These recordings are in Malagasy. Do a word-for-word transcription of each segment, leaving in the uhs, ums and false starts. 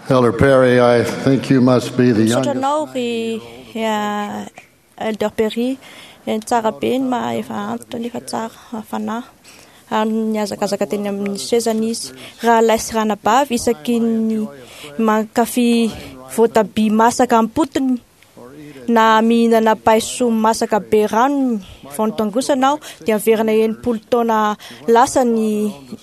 Elder Perry, I think you must be the Misaotra youngest. anao ry eh, Elder Perry. Eh, tsara be ny maha efa antitra nefa tsara fanahy ary nihazakazaka teny amin'ny sezany izy. Rahalahy sy ranabavy, isaky ny mankafy voatabia masaka am-potony na mihinana paiso masaka be ranony vao notangosana aho dia miverina enimpolo taona lasa ny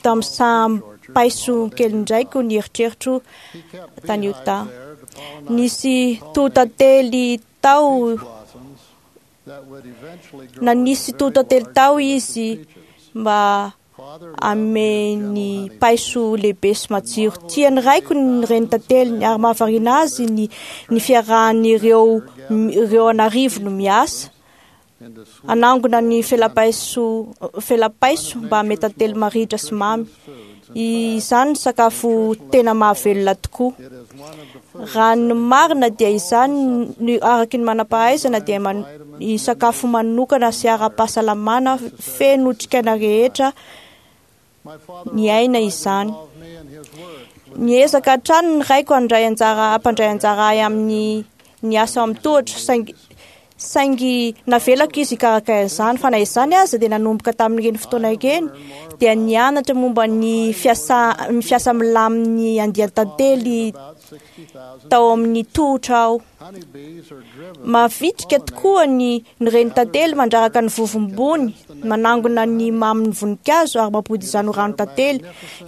tamin'ny samy paiso kely indraiko ny eritreritro tany Utah. Nisy totately tao na nisy totately tao izy mba ameny paiso lehibe sy matsiro. Tian'ny raiko ny reny tateliny ary mahavariana azy ny ny fiarahan'ireo ireo an'arivo no miasa anangona ny felapaiso felapaiso mba hanome tantely marihitra sy mamy. Izany ny sakafo tena mahavelona tokoa. Raha ny marina dia izany ny araky ny manam-pahaizana dia man, ny sakafo manokana sy ara-pahasalamana feno otrikaina rehetra ny aina izany. Niezaka hatrany ny raiko handray anjara hampandray anjara ahy amin'ny ny asa amin'ny tohatra saingy saingy navelako izy hikarakara izany, fa na izany aza dia nanomboka tamin'ireny fotoana ireny dia nianatra momba ny fiasa ny fiasa milamin'ny andian-tantely tao amin'ny tohotra aho. Mavitrika tokoa ny ny reny tantely mandraraka ny vovombony, manangona ny mamin'ny voninkazo ary mampody izany ho ranon-tantely.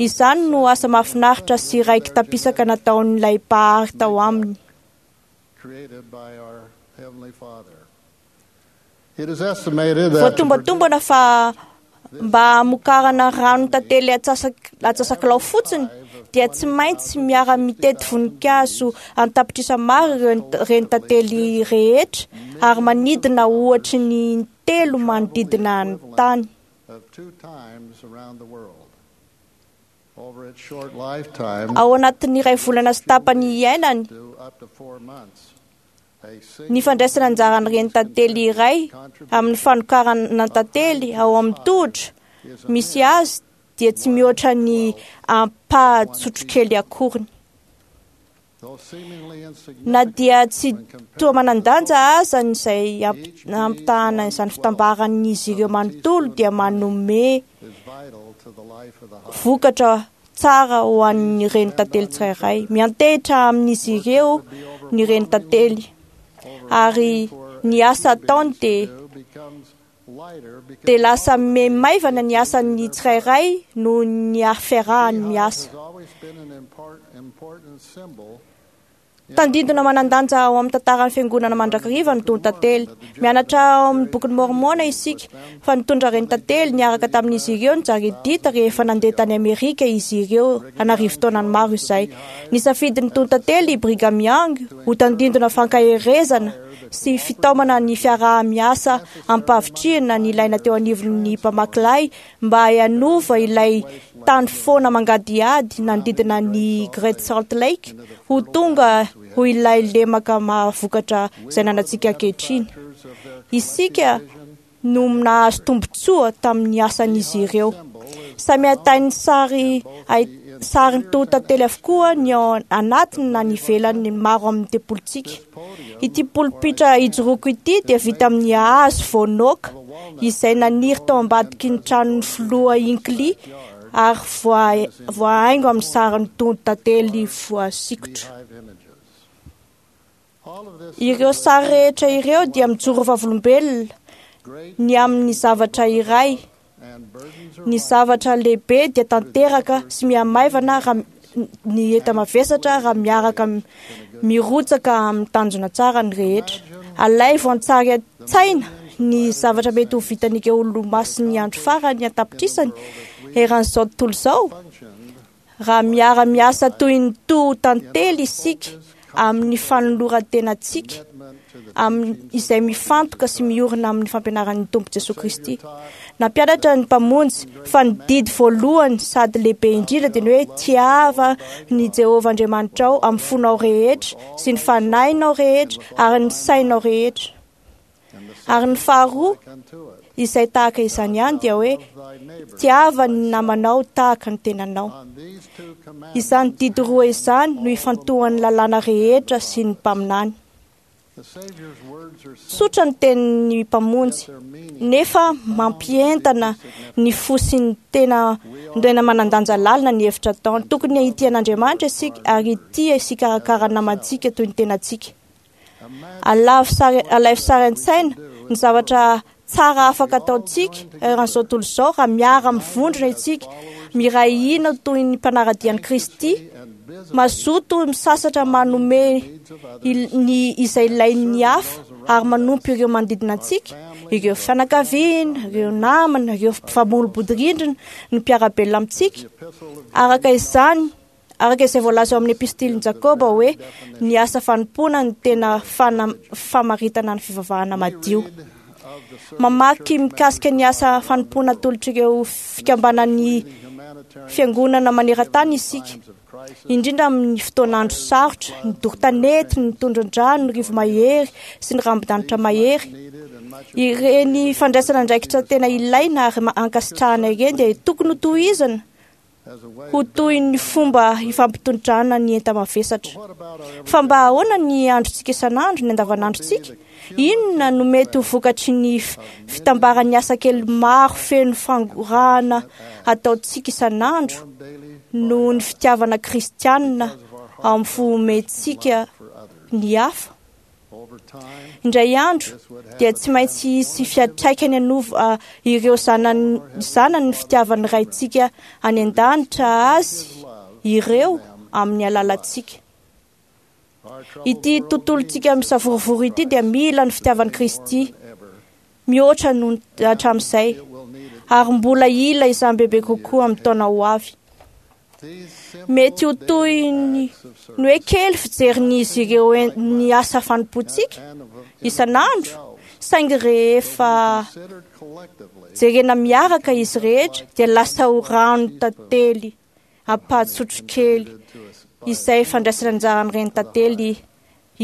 Izany no asa mahafinaritra sy raiki-tapisaka nataon'ilay mpahary tao aminy. Created by our Heavenly Father. It is estimated that to Voatombatombana fa mba hamokarana ranon-tantely atsasak- atsasakilao fotsiny dia tsy maintsy miara-mitety voninkazo an-tapitrisa maro ireo reny tantely rehetra ary manidina ohatry ny telo manodidina ny tany. of two times around the world. Over its short lifetime, Ao anatin'ny iray volana sy tapany iainany, do up to four months, a ny single fandraisana anjaran'ny reny tantely iray amin'ny fanokarana tantely ao amin'ny tohotra misy azy dia tsy mihoatra ny ampahatsotrokely akoriny. though seemingly Na insignificant, dia tsy toa manan-danja aza ny izay amp- ampitahana izany fitambaran'izy ireo manontolo dia manome is vital to the life of the hive. vokatra tsara ho an'ny reny tantely tsirairay. Miantehitra amin'izy ireo ny reny tantely ary ny asa ataony dia Do becomes lighter because dia lasa maimaivana ny asan'ny tsirairay noho ny fiarahany miasa. has always been an import, important symbol Tandindona manan-danja ao amin'ny tantaran'ny fiangonana mandrakariva ny tonon-tantely. Mianatra ao amin'ny bokin'ny Mormona isika fa nitondra reny tantely niaraka tamin'izy ireo ny Jaredita rehefa nandeha tany Amerika izy ireo an'arivo taonany maro izay. Nisafidy ny tonon-tantely i Brigham Young ho tandindona fankaherezana sy fitaomana ny fiaraha-miasa ampavitrihana nilaina teo anivon'ny mpamakilay mba hanova ilay tany foana mangadihady nanodidina ny Great Salt Lake ho tonga ho ilay lemaka mahavokatra izay nanantsika ankehitriny. Isika no nahazo tombontsoa tamin'ny asan'izy ireo. Samy ahitany sary ahi- sarin'ny tohotantely avokoa ny ao anatiny na ny ivelany maro amin'ny tempolintsika. Ity polipitra ijoroako ity dia vita amin'ny hazo voanoka izay naniry tao ambadiky ny tranon'ny filoha Hinckley ary voa- voahaingo amin'ny sarin'ny tohotantely voasikotra. hive images. All of this Ireo sary rehetra ireo dia mijoro vavolombelona great ny amin'ny zavatra iray. and burdens are Ny zavatra lehibe dia tanteraka sy mihamaivana raha ny enta-mavesatra raha miaraka m- mirotsaka amin'ny tanjona tsara ny rehetra. Alaivo an-tsary an-tsaina ny zavatra mety ho vitan'ireo olomasin'ny andro farany an-tapitrisany eran'izao tontolo izao functioned raha miara-miasa toy ny toho tantely isika amin'ny fanoloran-tenantsika commitment to the amin'ny izay mifantoka sy miorina amin'ny fampianaran'ny Tompo Jesoa Kristy. Nampianatra ny Mpamonjy fa ny didy voalohany sady lehibe indrindra dia ny hoe tiava ny Jehovah Andriamanitrao amin'ny fonao rehetra sy ny fanahinao rehetra ary ny sainao rehetra. and the Ary ny faharoa like unto it. izay tahaka izany ihany dia hoe tiava ny namanao tahaka ny tenanao. Izany didy roa izany no ifantohan'ny lalàna rehetra sy ny mpaminany. Tsotra ny tenin'ny Mpamonjy, nefa mampientana ny fo sy ny tena tena manan-danja lalina ny hevitra ataony. Tokony hitia an'Andriamanitra isika ary hitia sy hikarakara ny namantsika toy ny tenantsika. Alavo sary, alaivo sary an-tsaina ny zavatra tsara afaka ataontsika eran'izao tontolo izao raha miara-mivondrona isika, miray hina toy ny mpanara-dia an'i Kristy, mazoto misasatra manome ny izay ilain'ny hafa ary manompo ireo manodidina antsika, ireo fianakaviana, ireo namana, ireo mpifanolobodirindrina, ny mpiara-belona amintsika. Araka izany, araka izay voalaza ao amin'ny epistilin'i Jakoba hoe ny asa fanompoana no tena fana- famaritana ny fivavahana madio. Mamaky mikasika ny asa fanompoana atolotr'ireo fikambanan'ny fiangonana maneran-tany isika, indrindra amin'ny fotoan'andro sarotra, ny doro tanety, ny tondron-drano, ny rivo-mahery sy ny rambon-danitra mahery. Ireny fandraisana andraikitra tena ilaina ary ankasitrahana ireny dia tokony ho tohizana ho toy ny fomba ifampitondrana ny enta-mavesatra. Fa mba ahoana ny androntsika isan'andro, ny andavanandrontsika? Inona no mety ho vokatry ny fitambaran'ny asa kely maro feno fangorahana ataontsika isan'andro noho ny fitiavana kristianina ao amin'ny fo omentsika ny hafa? Indray andro dia tsy maintsy hisy fiantraikany hanova ireo zanany zanany ny fitiavan'ny Raintsika any an-danitra azy ireo amin'ny alalantsika. Ity tontolontsika misavorovoro ity dia mila ny fitiavan'i Kristy mihoatra noho hatramin'izay, ary mbola hila izany bebe kokoa amin'ny taona ho avy. Mety ho toy ny hoe kely fijerin'izy ireo ny asa fanompoantsika isan'andro, saingy rehefa jerena miaraka izy rehetra dia lasa ho rano tantely ampahatsotro kely izay fandraisana anjaran'ny reny tantely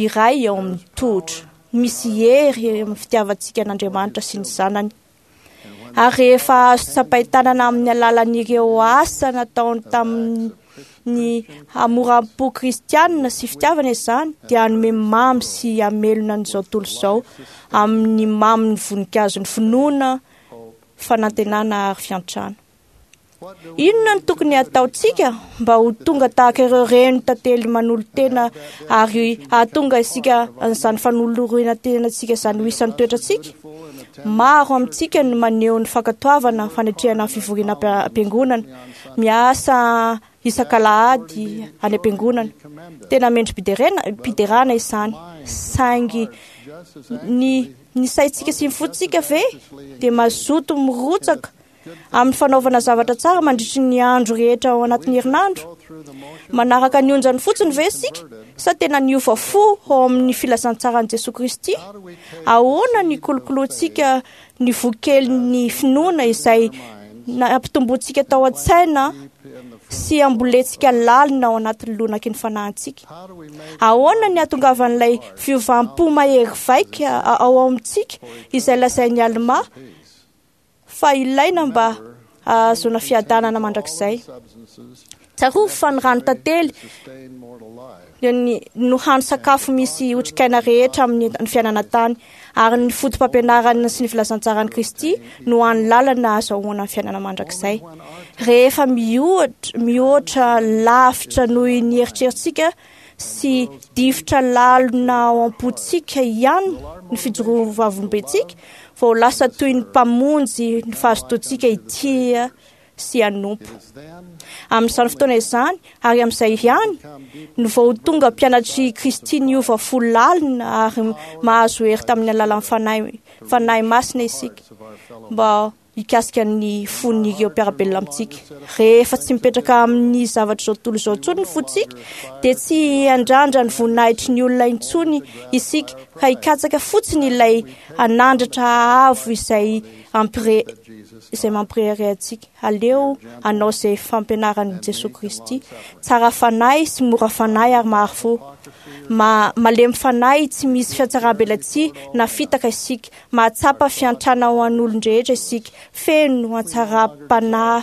iray eo amin'ny tohotra. Misy hery amin'ny fitiavantsika an'Andriamanitra sy ny zanany. Ary rehefa azo tsapain-tanana amin'ny alalan'ireo asa nataony tamin'ny hamoram-po kristianina sy fitiavana izany, dia hanome mamy sy hamelona an'izao tontolo izao amin'ny mamin'ny voninkazon'ny finoana, fanantenana ary fiantrana. Inona no tokony hataontsika mba ho tonga tahaka ireo reny tantely manolo-tena ary hahatonga isika an'izany fanolorana tenantsika izany ho isan'ny toetrantsika? Maro amintsika no maneho ny fankatoavana fanatrehana ny fivoriana am-piangonana, miasa isak'alahady any am-piangonana. Tena mendri-piderana izany, saingy ny ny saintsika sy ny fontsika ve dia mazoto mirotsaka amin'ny fanaovana zavatra tsara mandritry ny andro rehetra ao anatin'ny herinandro? Manaraka ny onjany fotsiny ve isika sa tena niova fo ao amin'ny filazantsaran'i Jesoa Kristy? Ahoana ny kolokoloantsika ny vokelin'ny finoana izay nampitomboantsika tao an-tsaina sy ambolentsika lalina ao anatin'ny lonaky ny fanahintsika? Ahoana ny hahatongavan'ilay fiovam-po mahery vaika ao amintsika izay lazain'i Alma fa ilaina mba hahazoana fiadanana mandrakizay? Tsarovy fa ny rano tantely no hany sakafo misy otrikaina rehetra amin'ny fiainana tany, ary ny foto-pampianarana sy ny filazantsaran'i Kristy no hany lalana ahazoana ny fiainana mandrakizay. Rehefa mihoatra mihoatra lavitra noho ny eritreritsika sy difotra lalina ao am-pontsika ihany ny fijoroan'ny vavolombelontsika, vao lasa toy ny mpamonjy ny fahazotoantsika hitia sy hanompo. Amin'izany fotoana izany ary amin'izay ihany no vao tonga mpianatry Kristy niova fo lalina ary mahazo hery tamin'ny alalan'ny fanahy fanahy masina isika mba hikasika ny fon'ireo mpiara-belona amintsika. Rehefa tsy mipetraka amin'ny zavatra izao tontolo izao intsony ny fontsika, dia tsy hiandrandra ny voninahitry ny olona intsony isika, ka hikatsaka fotsiny ilay hanandratra avo izay ampire izay mampirehareha antsika. Aleo hanao izay fampianaran'i Jesoa Kristy. Tsara fanahy sy mora fanahy ary mahary fo. Ma, malemy fanahy, tsy misy fiatsaram-belatsihy na fitaka isika. Mahatsapa fiantrana ho an'olon-drehetra isika. Feno hatsaram-panahy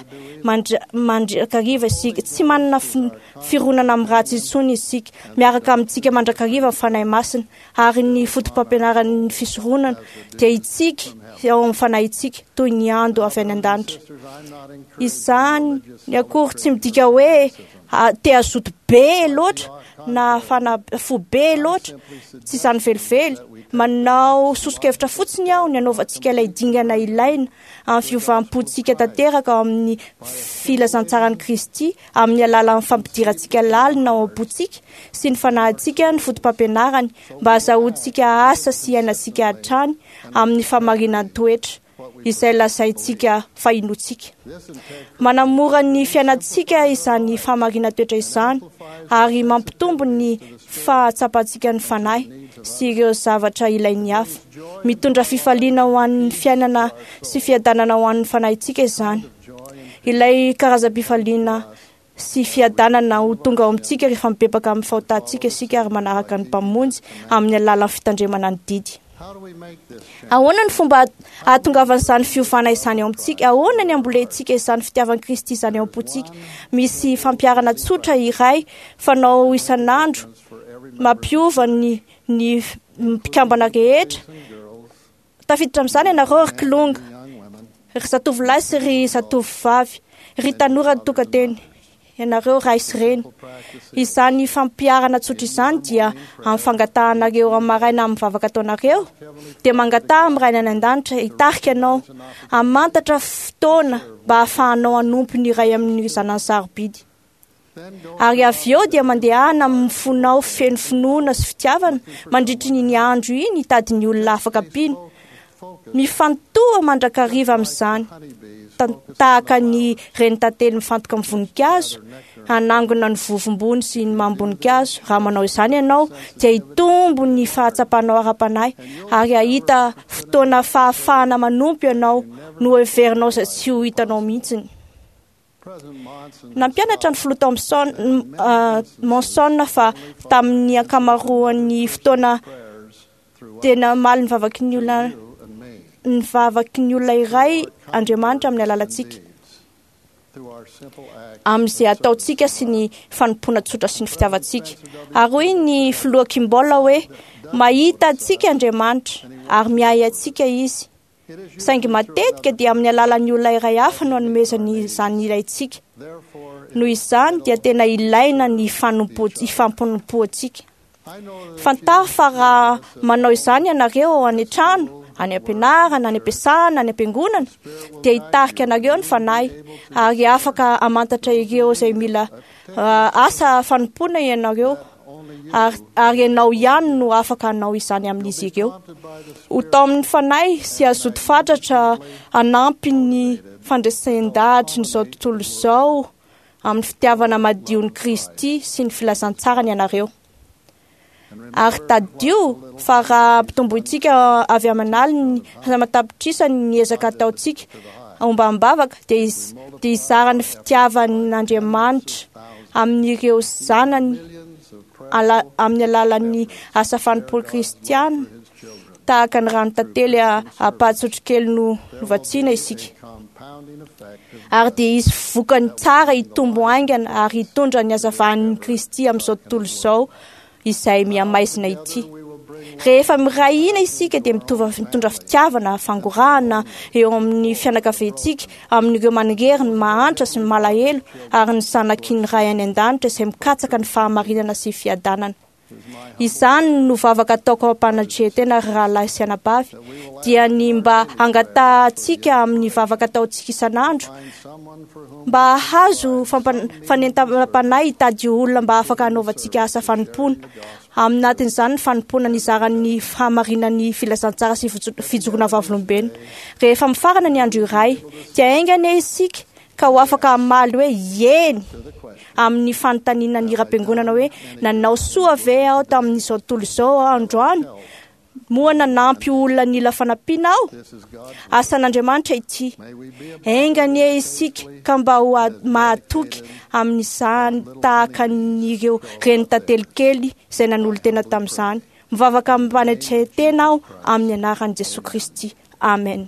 mandrakariva isika. Tsy manana fironana amin'ny ratsy intsony isika. Miaraka amintsika mandrakariva ny Fanahy Masina ary ny foto-pampianaran'ny fisoronana dia itsika ao amin'ny fanahintsika toy ny ando avy any an-danitra. Izany ny akory tsy midika hoe te hazoto be loatra na fana fo be loatra, tsy izany velively. Manao soso-kevitra fotsiny aho ny anaovantsika ilay dingana ilaina amin'ny fiovam-pontsika tanteraka ao amin'ny filazantsaran'i Kristy amin'ny alalan'ny fampidirantsika lalina ao am-pontsika sy ny fanahintsika ny foto-pampianarany mba hahazoantsika asa sy iainantsika hatrany amin'ny fahamarinan'ny-toetra izay lazaintsika fa inoantsika. Manamora ny fiainantsika izany fahamarinantoetra izany ary mampitombo ny fahatsapantsika ny fanahy sy ireo zavatra ilain'ny hafa. Mitondra fifaliana ho an'ny fiainana sy fiadanana ho an'ny fanahintsika izany. Ilay karazam-pifaliana sy fiadanana ho tonga ao amintsika rehefa mibebaka amin'ny fahotantsika isika ary manaraka ny Mpamonjy amin'ny alalan'ny fitandremana ny didy. Ahoana ny fomba ahatongavan'izany fiovana izany ao amintsika? Ahoana ny ambolentsika izany fitiavan'i Kristy izany ao am-pontsika? Misy fampiharana tsotra iray fanao isan'andro mampiova ny ny mpikambana rehetra. Tafiditra amin'izany ianareo ry kilonga, ry zatovolahy sy ry zatovovavy, ry tanora ny tokanteny, ianareo ray sy reny. Izany fampiharana tsotra izany dia amin'ny fangatahanareo amin'ny maraina amin'ny vavaka ataonareo, dia mangataha amin'ny Ray any an-danitra hitarika anao hamantatra fotoana mba hahafahanao hanompo ny iray amin'ny zanany sarobidy. Ary avy eo dia mandehana amin'ny fonao feno finoana sy fitiavana mandritry ny andro iny hitady ny olona afaka ampiana. Mifantoha mandrakariva amin'izany, tahaka ny reny tantely mifantoka amin'ny voninkazo, hanangona ny vovombony sy ny mamim-boninkazo. Raha manao izany ianao dia hitombo ny fahatsapanao ara-panahy ary hahita fotoana fahafahana manompo ianao no heverinao izay tsy ho hitanao mihitsy. Nampianatra ny filoha Thompson Monson fa tamin'ny ankamaroan'ny fotoana tena namaly ny vavaky ny olona ny vavaky ny olona iray Andriamanitra amin'ny alalantsika, amin'izay ataontsika sy ny fanompoana tsotra sy ny fitiavantsika. Ary hoy ny filoha Kimball hoe mahita antsika Andriamanitra ary miahy antsika Izy. Saingy matetika dia amin'ny alalan'ny olona iray hafa no anomezany izany ilaintsika. Noho izany dia tena ilaina ny fanompoantsika. Fantaro fa raha manao izany ianareo any an-trano, any am-pianarana, any am-piasana, any am-piangonana, dia hitarika anareo ny fanahy ary afaka hamantatra ireo izay mila asa fanompoana ianareo. Ary, ary ianao ihany no afaka hanao izany amin'izy ireo. Ho taomin'ny fanahy sy hazoto fatratra hanampy ny fandresen-dahatry ny izao tontolo izao amin'ny fitiavana madion'i Kristy sy ny filazantsarany ianareo. Ary tadidio fa raha ampitombointsika avy amin'aliny aman-tapitrisany ny ezaka ataontsika ombam-bavaka, dia dia hizara ny fitiavan'Andriamanitra amin'ireo zanany amin'ny alalan'ny asa fanompoana kristiana tahaka ny rano tantely ampahatsotrokely no novatsiana isika. Ary dia hisy vokany tsara hitombo haingana ary hitondra ny hazavan'i Kristy amin'izao tontolo izao izay mihamaizina ity. Rehefa miray hina isika dia mitondra fitiavana, fangorahana eo amin'ny fianakaviantsika, amin'ireo manirery, ny mahantra sy ny malahelo ary ny zanaky ny Ray any an-danitra izay mikatsaka ny fahamarinana sy fiadanana. Izany no vavaka ataoko am-panatrehan-tena ry rahalahy sy anabavy, dia ny mba hangatahantsika amin'ny vavaka ataontsika isan'andro mba hahazo fanentanam-panahy hitady olona mba afaka hanaovantsika asa fanompoana. Aminatin'izany ny fanompoana nizaran'ny fahamarinan'ny filazantsara sy fijoroana vavolombelona. Rehefa mifarana ny andro iray, dia enga anie isika ka ho afaka hamaly hoe eny amin'ny fanontaniana ny hiram-piangonana hoe nanao soa ve aho tamin'izao tontolo izao androany Moa nanampy olona nila fanampiana aho? This is God's work. Asan'Andriamanitra ity. May we be of Enga anie isika ka mba ho a- mahatoky amin'izany tahaka an'ireo reny tantely kely izay nanolo-tena tamin'izany. Mivavaka amim-panetren-tena aho amin'ny anaran'i Jesoa Kristy. Amen.